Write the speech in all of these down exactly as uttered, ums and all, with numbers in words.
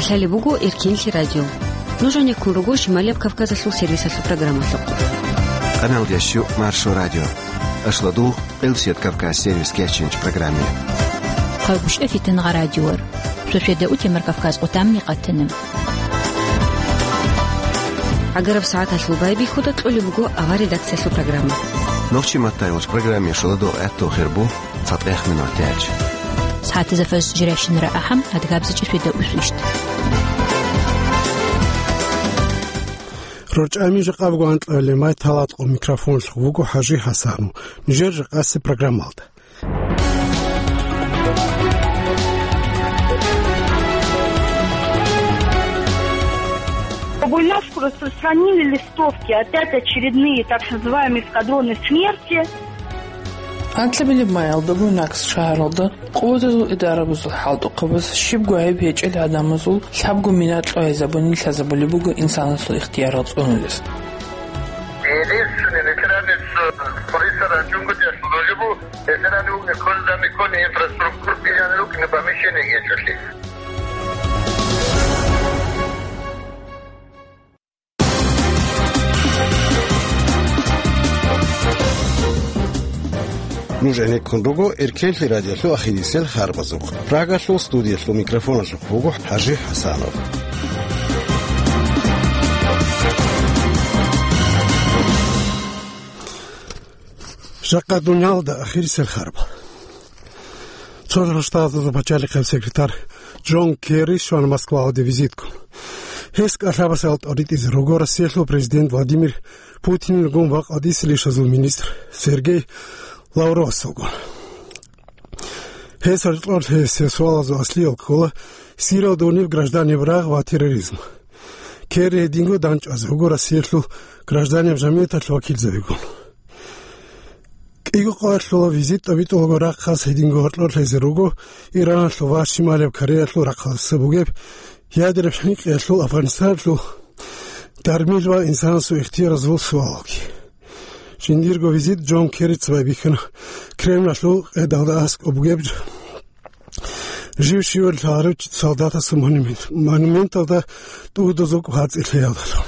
Лъалеб буго Эркенлъи радио. Нуж гӀенеккун руго Шималияб Кавказалъул сервисалъул программалъухъ. Къаналда щу Маршо радио. Ашладугъ, Къилсият Кавказ сервис кеченч программе. Хъалгушев Фитангъа радиор. Сосведа утемар Кавказ къутамни къатана. ГӀагараб сагӀаталъул байбихьуда кьолеб буго авар редакциялъул программа. Нохчи маттайвач программе шуладо гӀатту хирбу. ЦатӀех минут яч. СагӀатазда фаз жирайщинара ахӀам, адгабзачӀи светда усвищт. РорчӀами жакъа буго анкьабилеб май талатӀкъо микрофонлъ вуго ХӀажи ХӀасанов. Нижер жакъаси программалда. Буйнакск распространили листовки, опять очередные так называемые эскадроны смерти. Анкьабилеб майалда Буйнакск шагьаралда къуватазул идарабазул хӀалтӀухъабаз щибго гӀайиб гьечӀел гӀадамазул лъабго мина кьвайзабуни лъазабулеб буго инсаналъул ихтиярал цӀунулес. Единственный ветеранец, э, полиса ранчунгутӀиялъул рожибу, ветераны угни кколезаб миккони инфраструктура, бижанлукни помещение гьечӀолъи. Нуж гӀенеккун руго Эркенлъи радиолъул ахирисел харбазухъ. Прагалъул студиялъул микрофоналъухъ буго ХӀажи ХӀасанов. Жакъа дуниялда ахирисел харбал. Цо рагъ штатазул пачалихъе секретарь Джон Керри щвана Москваялде визитккун. Гьес кӀалъабасел тӀоритӀизе руго Россиялъул президент Владимир Путинилгун ва къадисел ишазул министр Сергей Лавровасулгун. Гьес гьоркьорлъи гьесие суалазул аслиял ккола Сириялда гьуниб гражданиб рагъ ва терроризм. Керри гьединго дандчӀвазе вуго Россиялъул гражданиял жамигӀаталъул вакилзабигун. КӀиго къоялъула визит тӀобитӀулаго рахъалъ гьединго гьоркьорлъизе руго Ираналъул ва Шималияб Кореялъул рахъалъ бугеб ядераб хӀинкъиялъул, Афганистаналъул дармил ва инсанасул ихтияразул суалалги. Жиндирго визит Джон Керрица байбихьана Кремлалъул къедалда аскӀоб бугеб жив щивали лъаларев солдатасул монумент, монументалда тӀугьдузул гьацӀи лъеялдалъун.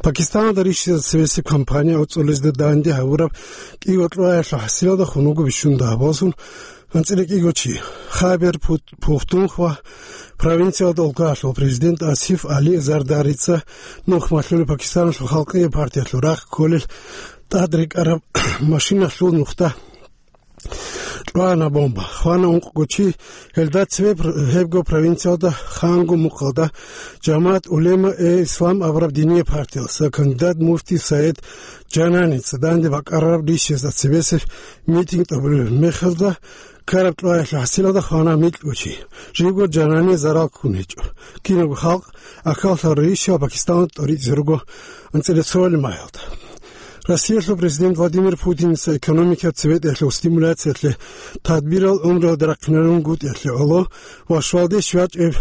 Пакистаналда рищизе цевесеб кампания гӀуцӀулезда данде гьавураб кӀиго кьваялъул хӀасилалда хун вуго бищун дагьабазул анцӀила кӀиго чи. Хайбер Пут-, Пухтунхва провинциялда улкаялъул президент Асиф Али Зардарица нух малъула Пакистаналъул халкъие партиялъул рахъ кколел тӀад рекӀараб машиналъул нухда кьвана бомба. Хвана ункъго чи, гьелда цебе пр-, гьебго провинциялда Хангу мухъалда Жамаат Улема-э Ислам абураб диние партиялъа кандидат муфти Саид Жананица данде бакӀарараб рищезда цебесеб митинг тӀубулеб мехалда ккараб кьваялъул хӀасилалда хвана микьго чи. Живго Жанани зарал ккун гьечӀо. Кинабго халкъ ахӀаллъараб рищал Пакистаналда тӀоритӀизе руго анцӀила цоали майялда. Россиялъул президент Владимир Путиница экономикаб цебетӀеялъул стимуляциялъе тадбирал гӀумруялда рахъинарунгутӀиялъе гӀоло ва щвалде щвечӀеб,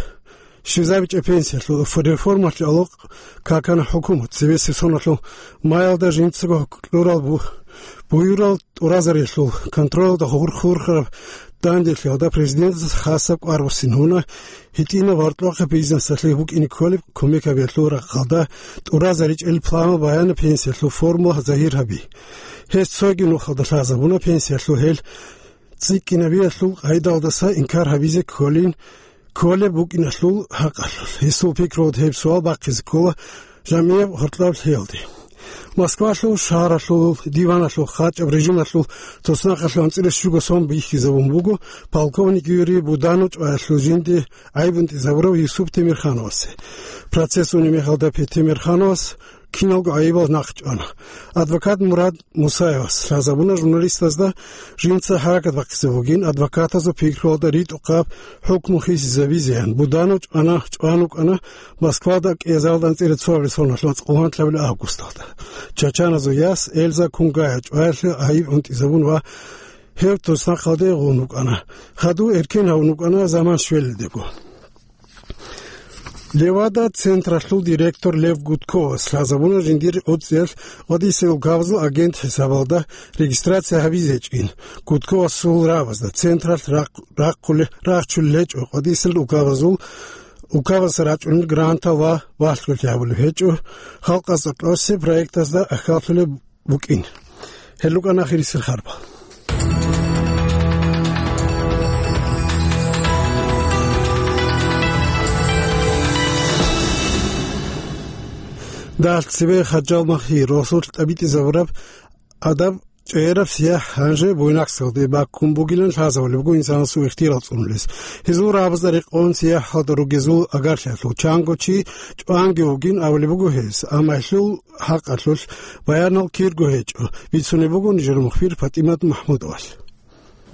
щвезабичӀеб пенсиялъул реформалъе гӀоло какана хӀукумат. Цебесеб соналъул маялда жинцаго кьурал бу-, буюрал тӀуразариялъул контролалда хурх-хурхараб данделъиялда президентас хасаб кӀвар буссин гьуна, гьитӀинаб гьоркьохъеб бизнесалъе букӀине кколеб кумек гьабиялъул рахъалда тӀуразаричӀел планал баянаб пенсиялъул формула загьир гьаби. Гьес цоги нухалда лъазабуна пенсиялъул гьел цӀикӀкӀинабиялъул къайдалдаса инкар гьабизе кколин, кколеб букӀиналъул хӀакъалъулъ. Гьесул пикруялда гьеб суал бахъизе ккола жамияб гьоркьоб лъиялде. Москвалъул шагьаралъул диваналъул хъачӀаб режималъул туснахъалъув анцӀила щуго сон бихьизабун буго полковник Юрий Буданов чӀваялъул жинди гӀайиб унтӀизабурав Юсуп Темирхановасе. Процесс унеб мехалда Пе-, Темирхановас киналго гӀайибал нахъчӀвана. Адвокат Мурад Мусаевас лъазабуна журналистазда жинца хӀаракат бахъизе бугин, адвокатазул пикруялда ритӀухъаб хӀукму хисизабизеян. Буданов чӀвана, чӀван вукӀана Москвада кӀиазарилда анцӀила цоабилеб соналъул цӀакъ къугьанлъабилеб августалда. Чачаназул яс Эльза Кунгая чӀваялъе гӀайиб унтӀизабун ва гьев туснахъалде гъун вукӀана. Хадув эркен гьавун вукӀана заман щвелалдего. Левада-централъул директор Лев Гудковас лъазабуна жиндир гӀуцӀиялъ гъодисел указал агент хӀисабалда регистрация гьабизе гьечӀин. Гудковасул рагӀабазда централъ рахъ-, рахъуле-, рахчулел гьечӀо гъодисел указал, указалъа рачӀунел грантал ва вахлъулъи гьабулеб гьечӀо, халкъалъ кьосеб проектазда ахьаллъулеб букӀин. Гьел рукӀана ахирисел харбал. Дагьалъ цебе Хаджал Махьи, росулъ тӀабитӀизабураб адаб чӀегӀераб сияхӀ гьанже Буйнакскалде баккун бугилан лъазабулеб буго инсанасул ихтияр цӀунулес. Гьезул рагӀабазда рекъон сияхӀалда ругезул агарлъиялъул чанго чи чӀванги вугин абулеб буго гьес, амма гьелъул хӀакъалъулъ баянал кирго гьечӀо, бицунеб буго нижер мухбир ПатӀимат МахӀмудовалъ.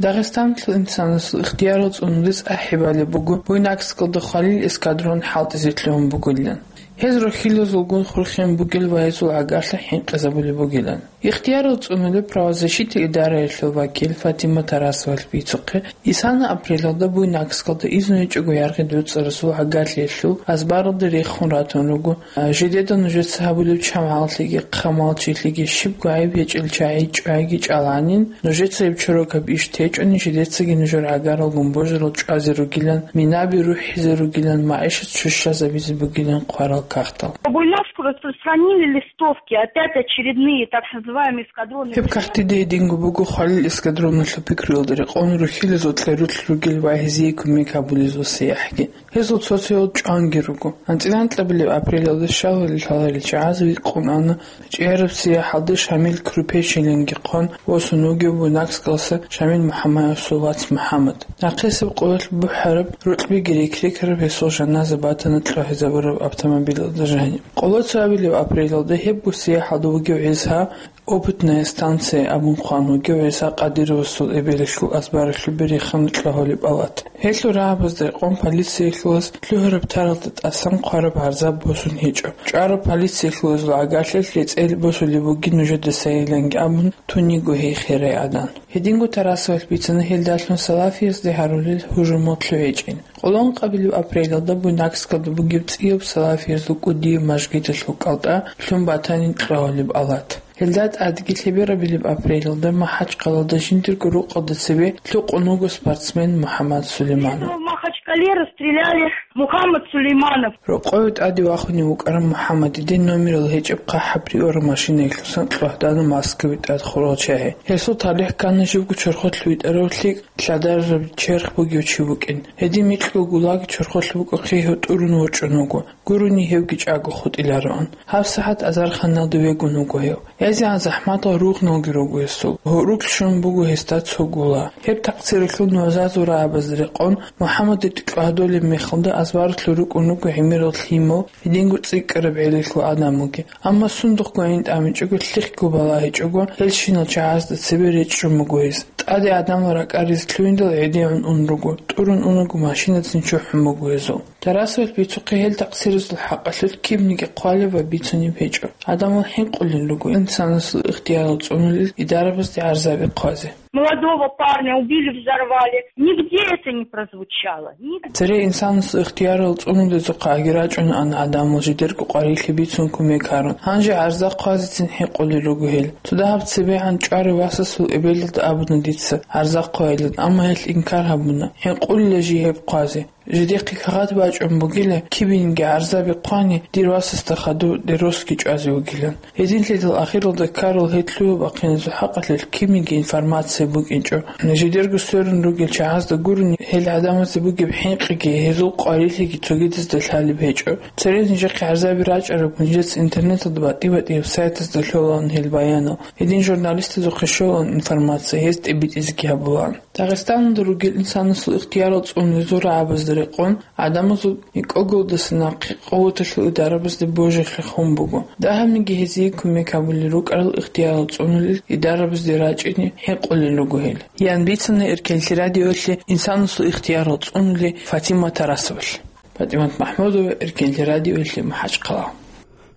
Дагъистаналъул инсанасул ихтиярал цӀунулес ахӀи балеб буго Буйнакскалда хвалил эскадрон хӀалтӀизе лъугьун бугилан. Гьез рухьилазулгун хурхин бугел ва гьезул гӀагарлъи хӀинкъизабулеб бугилан. Ихтиярал цӀунулеб правозащита идараялъул вакил Фатима Тарасовалъ бицухъе, исана апрелалда Буйнакскалда изну гьечӀого яргъи дуцӀарасул гӀагарлъиялъул азбаралда рехун ратун руго, а, жидеда нужеца гьабулеб чамгӀаллъиги хъамалчилъиги щибго гӀайиб гьечӀел чагӀи чӀвайги чӀаланин, нужеца гьеб чорокаб иш течӀони, жидецаги нужер гӀагаралгун божарал чӀвазе ругилан, минаби рухӀизе ругилан, магӀишат щущазабизе бугилан хъварал кагътал. По Буйнакску распространили листовки, опять очередные так называемые эскадронные. Гьеб кагътида гьединго буго хвалил эскадроналъул пикруялда рекъон рухьилазул кьерулъ ругел ва гьезие кумек гьабулезул сияхӀги. Гьезул цо-цоял чӀванги руго. АнцӀила анкьабилеб апрелалда щалалел лъаларел чагӀаз витӀун ана ЧӀегӀераб сияхӀалда Шамил Крупечилинги хъван восун вугев Буйнакскалса Шамил МухӀамаевасул вац МухӀаммад. Нахъисеб къоялъ бухӀараб, рокьбиги рекрекараб гьесул жаназа батана кьогьезабураб автомобилалда жаниб. Къоло цоабилеб апрелалда гьебго сияхӀалда вугев гӀиса, Опытная станция абун хъван вугев ГӀиса Къадировасул эбелалъул азбаралъубе рехана кьогьолеб палат. Гьелъул рагӀабазда рекъон полициялъулаз лъугьараб таралда тӀасан хъвараб гӀарза босун гьечӀо. ЧӀвараб полициялъулазул гӀагарлъиялъ рецӀел босулеб бугин нужеда сайиланги абун, туниго гьей херай гӀадан. Гьединго Тарасовалъ бицана гьелдалъун салафиязде гьарулел гьужумал лъугӀичӀин. Къоло анкьабилеб апрелалда Буйнакскалда бугеб цӀияб салафиязул кӀудияб мажгиталъул кӀалтӀа лъун батанин кьогьолеб палат. Гьелда тӀадги лъеберабилеб апрелалда МахӀачхъалада жиндирго рукъалда цебе лъукъун вуго спортсмен МухӀаммад Сулейманов. В Махачкале расстреляли Мухаммад Сулейманов. Рокъове тӀаде вахунев вукӀарав МухӀаммадиде номерал гьечӀеб хъахӀаб риораб машинаялъусан кьогьдана Москваялде тӀад хурал чагьи. Гьесул талихӀ ккана живго чорхолъ витӀарав лъикӀ лъадарараб черх бугев чи вукӀин. Гьедин микьго гулаг чорхолъ букӀухъе гьев тӀурун ворчӀун вуго. Гурони гьевги чӀаго хутӀилароан. ГьабсагӀат азарханалда вегун вуго гьев. ЯзегӀан захӀматал ругъналги руго гьесул. Гьорук щун буго гьесда цо гула. Гьеб такъсиралъул нугӀзазул рагӀабазда рекъон, МухӀаммадиде кьогьдолеб мехалда азбаралъур рукӀун руго гӀемерал лъимал, гьединго цӀикӀкӀараб гӀелалъул гӀадамалги. Амма сундухъго гӀин тӀамичӀого лъихъго балагьичӀого, гьелщинал чагӀазда цебе речӀчӀун буго гьес. ТӀаде гӀадамал ракӀаризе лъугьиндал гӀедегӀун ун руго, тӀурун унаго машинацин чухӀун буго гьезул. Тарасовалъ бицухъе гьел такъсиралъул хӀакъалъулъ кибниги хъвалеб ва бицунеб гьечӀо. Гьадамал хӀинкъулел руго инсанасул ихтиярал цӀунулел идарабазде гӀарзаби хъвазе. Молодого парня убили, взорвали. Нигде это не прозвучало. Нигде. Цере инсанасул ихтиярал цӀунулезухъа аги рачӀунаан гӀадамал жидерго къварилъи бицун кумек гьарун. Гьанже гӀарза хъвазецин хӀинкъулел руго гьел. Цо дагьаб цебегӀан чӀварав васасул эбелалда абуна дица гӀарза хъвайилан, амма гьелъ инкар гьабуна. ХӀинкъулила жий гьеб хъвазе. Жидехъе кагъат бачӀун бугила, кибинги гӀарзаби хъвани, дир васасда хадув деросги чӀвазе вугилан. Гьединлъидал ахиралда ккарал гьел лъугьа-бахъиназул хӀакъалъулъ кибниги информация букӀинчӀо. Жидерго сверун ругел чагӀазда гурони, гьел гӀадамазда бугеб хӀинкъиги, гьезул къварилъиги цогидазда лъалеб гьечӀо. Цере нижехъе гӀарзаби рачӀараб, нижеца интернеталда батӀи-батӀияб сайтазда лъолаан гьел баянал. Гьедин журналистазухъе щолаан информация, гьез тӀибитӀизеги гьабулаан. Дагъистаналда ругел инсанасул ихтиярал цӀунулезул рагӀабазда рекъон, гӀадамазул микӀогулдаса нахъе къуваталъул идарабазде божи хехун буго. Дагьабниги гьезие кумек гьабулел рукӀарал ихтиярал цӀунулел идарабазде рачӀине хӀинкъулел руго гьел. Ян бицана Эркенлъи радиоялъе инсанасул ихтиярал цӀунулей Фатима Тарасовалъ. ПатӀимат МахӀмудова, Эркенлъи радиоялъе, МахӀачхъала.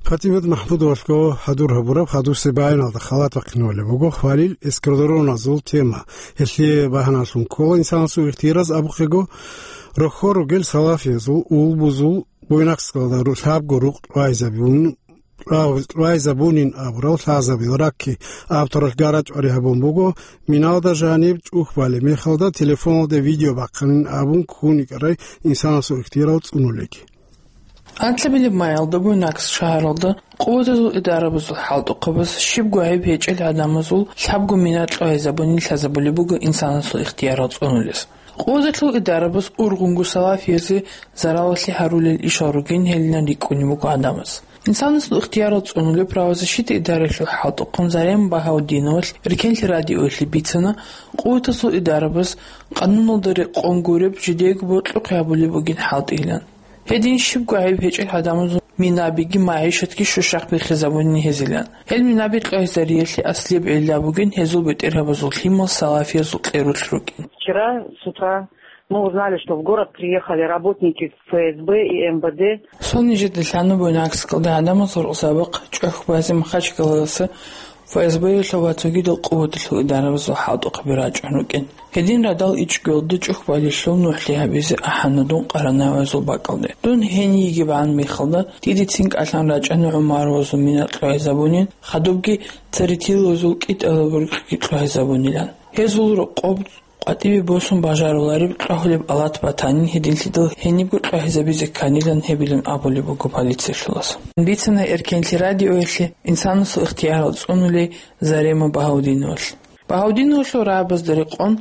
ПатӀимат МахӀмудовалъго хӀадур гьабураб хадусеб баяналда халат бахъинавалеб буго хвалил эскадроназул тема. Гьелъие багьаналъун ккола инсанасул ихтияраз абухъего, рохьор ругел салафиязул, улбузул, Буйнакскалда ру-, лъабго рукъ райзабун, рагъ-, райзабунин абурал лъазабил ракки авторалъ гарачӀвари гьабун буго, миналда жаниб чӀухь балеб мехалда телефоналде видео бахъанин абун ккун йикӀарай инсанасул ихтиярал цӀунулеги. Анлъабилеб майалда Буйнакск шагьаралда къуватазул идарабазул хӀалтӀухъабаз щибго гӀайиб гьечӀел гӀадамазул лъабго мина кьогьезабунин лъазабулеб буго инсанасул ихтиярал цӀунулес. Къуваталъул идарабаз ургъунго салафиязде заралалъе гьарулел ишал ругин гьелинан рикӀкӀунеб буго гӀадамаз. Инсанасул ихтиярал цӀунулеб правозащита идаралъул хӀалтӀухъан Зарема Багьаудиновалъ Эркенлъи радиоялъе бицана, къуваталъул идарабаз къануналда рекъон гуреб жидеего бокьухъе гьабулеб бугин хӀалтӀийилан. Гьедин щибго гӀайиб гьечӀел гӀадамазул минабиги магӀишатги щущахъ биххизабунин гьезилан. Гьел минаби кьогьезариялъе аслияб гӀилла бугин гьезул бетӀергьабазул лъимал салафиязул кьерулъ рукӀин. Вчера с утра мы узнали, что в город приехали работники ФСБ и МВД. Цо нижеда лъана Буйнакскалда гӀадамазул рукъзабахъ чӀухь базе Махачкалаялдаса ФСБ-ялъул ва цогидал къуваталъул идарабазул хӀалтӀухъаби рачӀун рукӀин. Гьедин радал ичӀго гьелда чӀухь балелъул нухӀлъи гьабизе ахӀана дун Къаранавазул бакӀалде. Дун гьениб йигебгӀан мехалда, дидецин кӀалъан рачӀана ГӀумаровазул мина кьогьезабунин, хадубги Царитиловазул кӀитӀалаб рукъги кьогьезабунилан. Гьезул рокъоб къватӀибе босун бажарулареб кьогьулеб алат батанин, гьединлъидал гьенибго кьогьезабизе кканилан гьебилан абулеб буго полициялъулас. Бицана Эркенлъи радиоялъе инсанасул ихтиярал цӀунулей Зарема Багьаудиновалъ. Багьаудиновалъул рагӀабазда рекъон,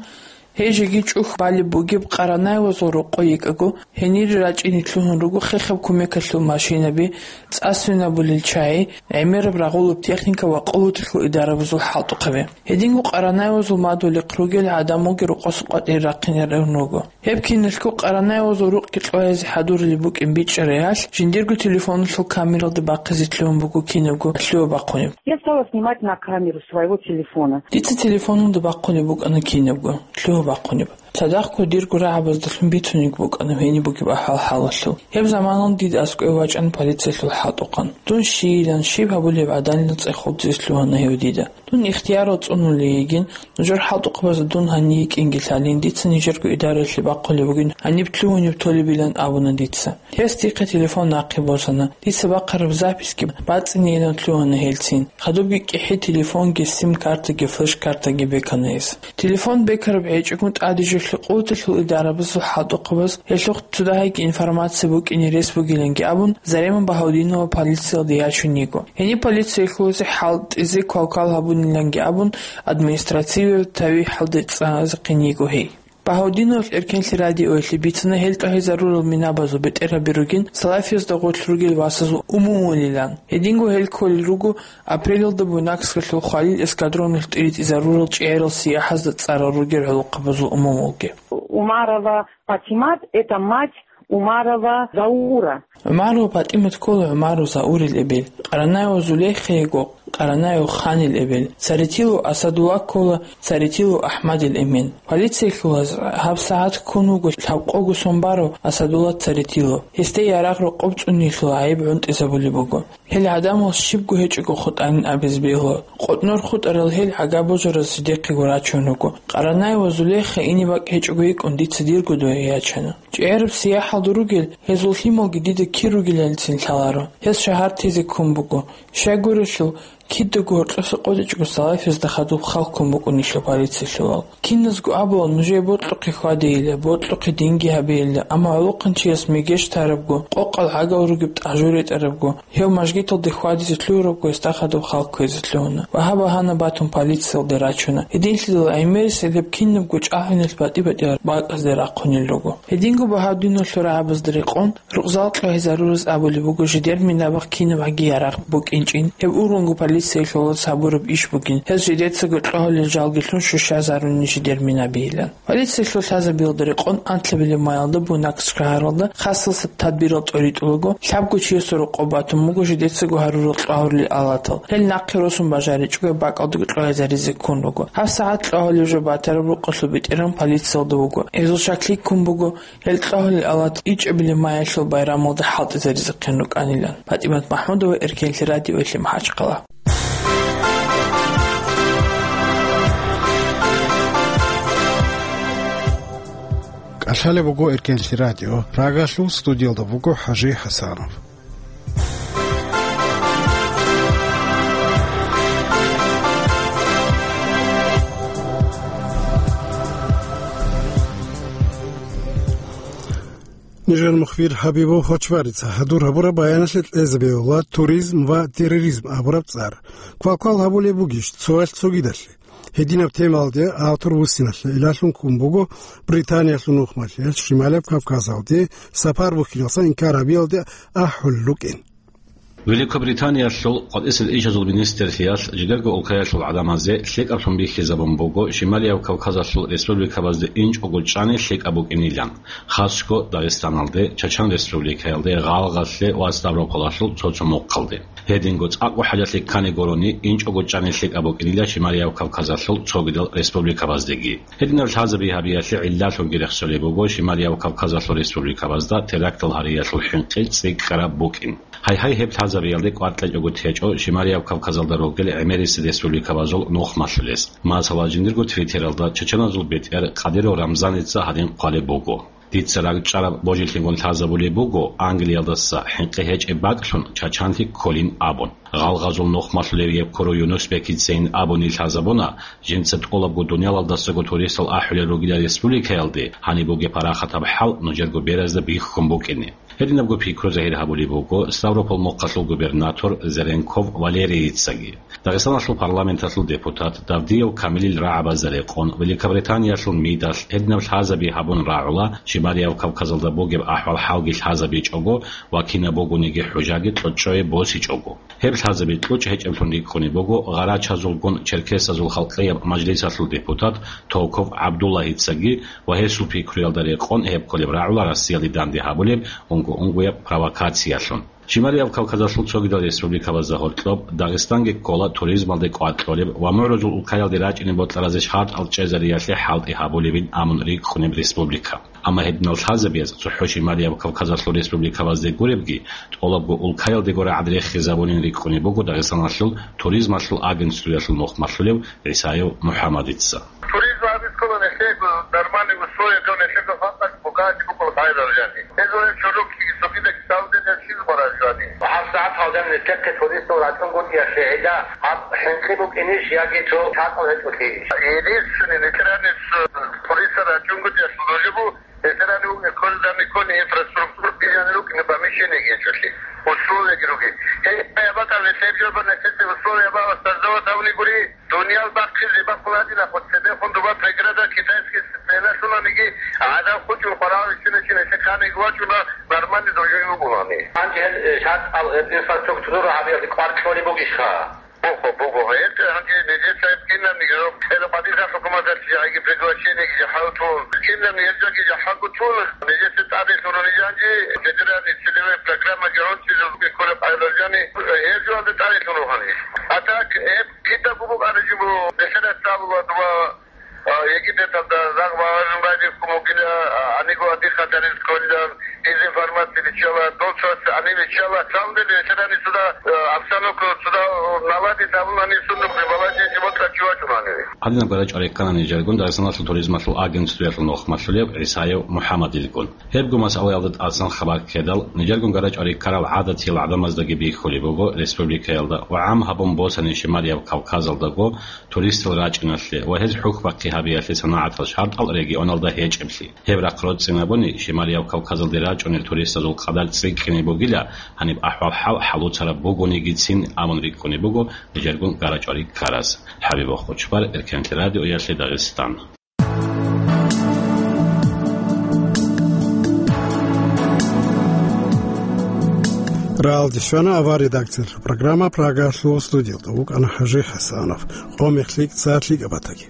гьей жеги чӀухь балеб бугеб Къаранавазул рокъо йикӀаго, гьенире рачӀине лъугьун руго хехаб кумекалъул машинаби, цӀа свинабулел чагӀи, гӀемераб рагъулаб техника ва къуваталъул идарабазул хӀалтӀухъаби. Гьединго Къаранавазул мадулихъ ругел гӀадамалги рокъоса къватӀире рахъинарун руго. Гьеб киналъго Къаранавазул рукъги кьогьезе хӀадурулеб букӀин бичӀчӀараялъ, жиндирго телефоналъул камералда бахъизе лъугьун буго кинабго лъугьа-бахъунеб. Я стала снимать на камеру своего телефона. Дица телефоналда бахъунеб букӀана кинабго лъугьа-бахъунеб. Цадахъго дирго рагӀабаздалъун бицунеб букӀана гьениб бугеб ахӀвал-хӀалалъул. Гьеб заманалда дида аскӀове вачӀана полициялъул хӀалтӀухъан. Дун щийилан, щиб гьабулеб гӀадинилан цӀехолдизе лъугьана гьев дида. Дун ихтиярал цӀунулей йигин, нужер хӀалтӀухъабазда дун гьанив йикӀинги лъалин, дица нижерго идараялъе бахъулеб бугин, гьаниб лъугьунеб толебилан абуна дица. Гьес дихъе телефон нахъе босана. Дица бахъараб записьги бацӀцӀинейилан лъугьана гьелцин. Хадубги кӀихӀи телефонги, сим-картаги, флеш-картаги бекана гьес. Телефон бекараб гӀечӀого тӀаде жо лъикъуталъул идарабазул хӀалтӀухъабаз гьелъухъ цо дагьабги информация букӀине рес бугиланги абун, Зарема Багьаудинова полициялде ячун йиго. Гьениб полициялъулазе хӀалтӀизе квалквал гьабуниланги абун, административияв тавихӀалде цӀаназехъин йиго гьей. Багьаудиновалъ Эркенлъи радиоялъе бицана гьел кьогьезарурал минабазул бетӀергьаби ругин, салафиязда гъорлъ ругел васазул умумулилан. Гьединго гьел кколел руго апрелалда Буйнакскалъул хвалил эскадроналъ тӀиритӀизарурал чӀегӀерал сияхӀазда цӀарал ругел гӀолохъабазул умумулги. Умарова Патимат, это мать Умарова Заура. ГӀумарова ПатӀимат ккола ГӀумаров Заурил эбел. Къаранаева Зулейха йиго Къаранаев Ханил эбел. Царитилов Асадулла ккола Царитилов АхӀмадил эмен. Полициялъулаз гьабсагӀат ккун вуго лъабкъого сон барав Асадулла Царитилов. Гьесде ярагъ рокъоб цӀунилъул гӀайиб гӀунтӀизабулеб буго. Гьел гӀадамал щибго гьечӀого хутӀанин абизе бегьула. КъотӀнор хутӀарал гьел гӀага божараз жидехъего рачун руго. Къаранаева Зулейха ине бакӀ гьечӀого йикӀун дица дирго дугӀи ячана. ЧӀегӀераб сияхӀалда ругел гьезул лъималги дида кир ругелалицин лъаларо. Гьес шагьар тезе ккун буго. Щайгурелъул, кидаго гьоркьоса къотӀичӀого салафиязда хадуб халккун букӀунелъул полициялъулал. Киназго абула нужее бокьухъе хьвадейилан, бокьухъе динги гьабейилан, амма гӀолохъанчияс мегеж тарабго, къокъал гӀагал ругеб тӀагӀжу ретӀарабго, гьев мажгиталде хьвадизе лъугьарабго гьесда хадуб халкквезе лъугьуна ва гьаб багьана батун полициялде рачуна. Гьединлъидал гӀемерисел гьеб кинабго чӀахӀиналъ батӀи-батӀиял бакӀазде рахъунел руго. Гьединго Багьаудиновалъул рагӀабазда рекъон, рукъзал кьогьезарураз абулеб буго жидер минабахъ кинабгӀаги ярагъ букӀинчӀин, гьеб ургъунго полициялъулаз гьабураб иш бугин, гьез жидецаго кьогьулел жалги лъун щущазарунин жидер минабийилан. Полициялъул лъазабиялда рекъон анлъабилеб майалда Буйнакск шагьаралда хасалъа тадбирал тӀоритӀулаго, лъабго чиясул рокъоб батун буго жидецаго гьарурал кьогьулел алатал. Гьел нахъе росун бажаричӀого бакӀалдаго кьогьезаризе ккун руго. ГьабсагӀат кьогьулеб жо батараб рукъалъул бетӀергьан полициялда вуго. Гьезул щаклъи ккун буго, гьел кьогьулел алат ичӀабилеб майялъул байрамалда хӀалтӀизаризехъин рукӀанилан. ПатӀимат МахӀмудова, Эркенлъи радиоялъе, МахӀачхъала. Лъалеб буго Эркенлъи радио. Прагалъул студиялда буго ХӀажи ХӀасанов. Нижер мухбир ХӀабибов Хочбарица хӀадур гьабураб баяналъе кьезе бегьула туризм ва терроризм абураб цӀар. Квалквал гьабулеб бугищ цоял цогидалъе? Гьединаб темаялде автор вуссиналъе илалъун ккун буго Британиялъул нухмалъиялъ Шималияб Кавказалде сапар бухьиналдаса инкар гьабиялде ахӀулел рукӀин. Великобританиялъул къватӀисел ишазул министрлъиялъ жидерго улкаялъул гӀадамазе лъикӀаблъун бихьизабун буго Шималияб Кавказалъул республикабазде инчӀого чӀани лъикӀаб букӀинилан, хасго Дагъистаналде, Чачан Республикаялде, Гъалгъалъе ва Ставрополалъул цо-цо мухъалде. Гьединго цӀакъго хӀалалъи ккани гурони, инчӀого чӀани лъикӀаб букӀинила Шималияб Кавказалъул цогидал республикабаздеги. Гьединаб лъазаби гьабиялъе гӀиллалъунги рехсолеб буго Шималияб Кавказалъул республикабазда терактал гьариялъул хӀинкъи цӀикӀкӀараб букӀин. Гьайгьай, гьеб лъазабиялде кӀвар кьечӀого течӀо Шималияб Кавказалда ругел гӀемерисел республикабазул нухмалъулес. Масала, жиндирго Твиттералда чачаназул бетӀер Къадиров Рамзаница гьадин хъвалеб буго: «Дица ракӀчӀараб божилъигун лъазабулеб буго Англиялдаса хӀинкъи гьечӀеб бакӀлъун Чачанлъи кколин», – абун. Гъалгъазул нухмалъулев Евкуру Юнусбекицайин абуни лъазабуна, жинца тӀолабго дуниялалдасаго туристал ахӀулел ругила республикаялде, гьаниб бугеб парахатаб хӀал нужерго беразда бихьун букӀине. Гьединабго пикру загьир гьабулеб буго Ставрополь мухъалъул губернатор Зеренков Валерийицаги. Дагъистаналъул парламенталъул депутат Давдиев Камилил рагӀабазда рекъон Великобританиялъул МИДалъ гьединаб лъазаби гьабун рагӀула, Шималияб Кавказалда бугеб ахӀвал-хӀалги лъазабичӀого ва кинаб бугониги хӀужаги кьучӀчӀое босичӀого. Гьеб лъазаби кьучӀ гьечӀеблъун рикӀкӀунеб буго гъарачазулгун черкесазул халкъияб мажлисалъул депутат Токов ГӀабдуллагьицаги ва гьесул пикруялда рекъон гьеб кколеб рагӀула Россиялде данде гьабулеб унго-унгояб провокациялъун. Шималияб Кавказалъул цогидал республикабазда гьоркьоб Дагъистанги ккола туризмалде кӀвар кьолеб ва мугӀрузул улкаялде рачӀине бокьаразе шартӀал чӀезариялъе хӀалтӀи гьабулебин абун рикӀкӀунеб республика. Амма гьединал лъазабияз цохӀо Шималияб Кавказалъул республикабазде гуребги, тӀолабго улкаялдего рагӀад рехизабунин рикӀкӀунеб буго Дагъистаналъул туризмалъул агентствоялъул нухмалъулев ГӀисаев МухӀаммадица. Туризм гьабиз ккола нилъего нормальный условия, нилъего халкъалъ букӀараб букӀун гьайрал жани. Гьезул гьеб чорокги цогидал кьалдизе щиб бараб жани? ГьабсагӀат гьалдан нилъехъе туристал рачӀунгутӀиялъе гьелда гьаб хӀинкъи букӀинищ яги цо шартӀал гьечӀолъи? Единственный, нилъер гьаниб туристал рачӀунгутӀиялъул нужебу Эсерани вукӀин кколдани ккони инфраструктура бижани рукӀине помещениеги гьечӀолъи, условияги ругин. Гьеб гьабатӀа нилъер жо банасизе условия бала создавать гьавни гури, дуниял бахъизе бахъула гьадинахъо цебехун дуба преграда китайский стеналъунаниги гӀадан хучӀун хварал риччиначи нилъер камиги вачӀуна нормальный дожоги вугулани. Гьанже гьел, э, шартӀал, э, инфраструктура гьабиялде кӀвар кьолеб бугищха? Буго, буго. Гьеб гьанже нижеца гьеб кинабниги роб, гьеб къадирха хӀукуматалъ жагьиги приглашениеги жахӀал тун. Кинабниги гьеб жаги жахӀалго тун, нижеца тӀаде лъугьун жанжи федеральный целевой программаги гӀунтӀизул беккулеб гӀайрал жани, гьеб жоялда тӀаде лъугьун гьани. А так, гьеб кидаго букӀана жибу, бетӀерас цӀалула дуба, А, Египеталда рагъ багъарун райдихъун вугила, а, гьаниго адихъа дарил кколилан, дезинформация биччала, дол цояс гьаниб биччала. Самом деле, ветераны суда, э, обстановка суда, э, наладить гьабун гьаниб суннухъе балагье животла чувачун гьаниб. Гьадинаб гара чӀварихъана нижергун Дагъистаналъул туризмалъул агентствоялъул нухмалъулев ГӀисаев МухӀаммадилгун. Гьебго масъалаялда тӀасан хабар ккедал, нижергун гара чӀварихъарал гӀадатиял гӀадамаздаги бихьулеб буго республикаялда ва гӀам гьабун босани Шималияб Кавказалдаго туристал рачӀиналъе ва гьез хӀухьбахъи гьабиялъе санагӀатал шартӀал регионалда гьечӀеблъи. Гьеб рахъ роцӀцӀинабуни, Шималияб Кавказалде рачӀунел туристазул къадар цӀикӀкӀине бугила, гьаниб ахӀвал-хӀал хӀалуцараб бугонигицин абун рикӀкӀунеб буго нижергун гара чӀварихъараз. ХӀабиб Хъучбар, Эркенлъи радиоялъе Дагъистан. Ралдис щвана авар редакциялъул программа, Прагалъул студиялда вукӀана ХӀажи ХӀасанов. Къо мехлъи цӀар лъикӀаб батаги.